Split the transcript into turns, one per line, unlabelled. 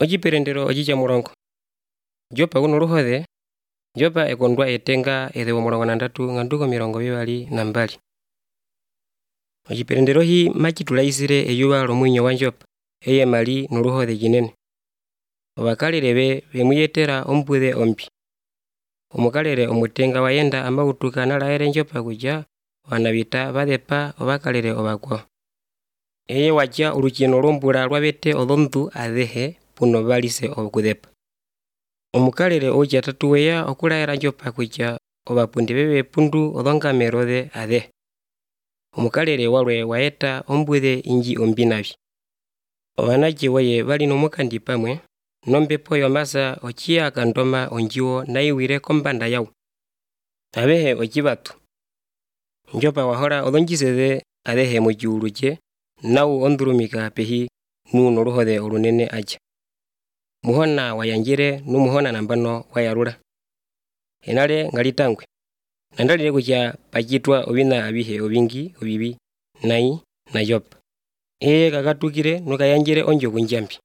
Ociperendero ocicamurongo. Jopa kuno oluhode, Jopa ekondwa etenga ethele 30 nganduko 22. Ociperendero hi macitulaisile eyuva lomwinyo wa Jopa eye mali noluhode cinene. Ovakalele vemuyetela ombwile ombi. Omukalele omutenga wayenda amautuka nalaele Jopa kutya vanavita vathepa ovakalele ovakwao. Eye watya olucino lombula lwavete olondu athehe puno valise okuthepa. Omukalele oucatatu weya okulaela Jopa kutya ovapundi vepundu olongamelo the athehe. Omukalele walwe waeta ombwile inji ombi navi. Ovanatje waye vali nomukandi pamwe, nombepo yomasa ociya akandoma ondjiwo naiwile kombanda yawo. Avehe ocivatu. Jopa wahola olonjise the athehe mociulu ce nawu ondulumika pehi nuno oluhode olunene atya. Muhona wayandjele numuhona nambano wayalula. Enale ngalitangwe. Nandalile kutya pacitwa ovina avihe ovingi ovivi nai na Jopa. Eye kakatukile nokayandjele ondjoku ndjambi.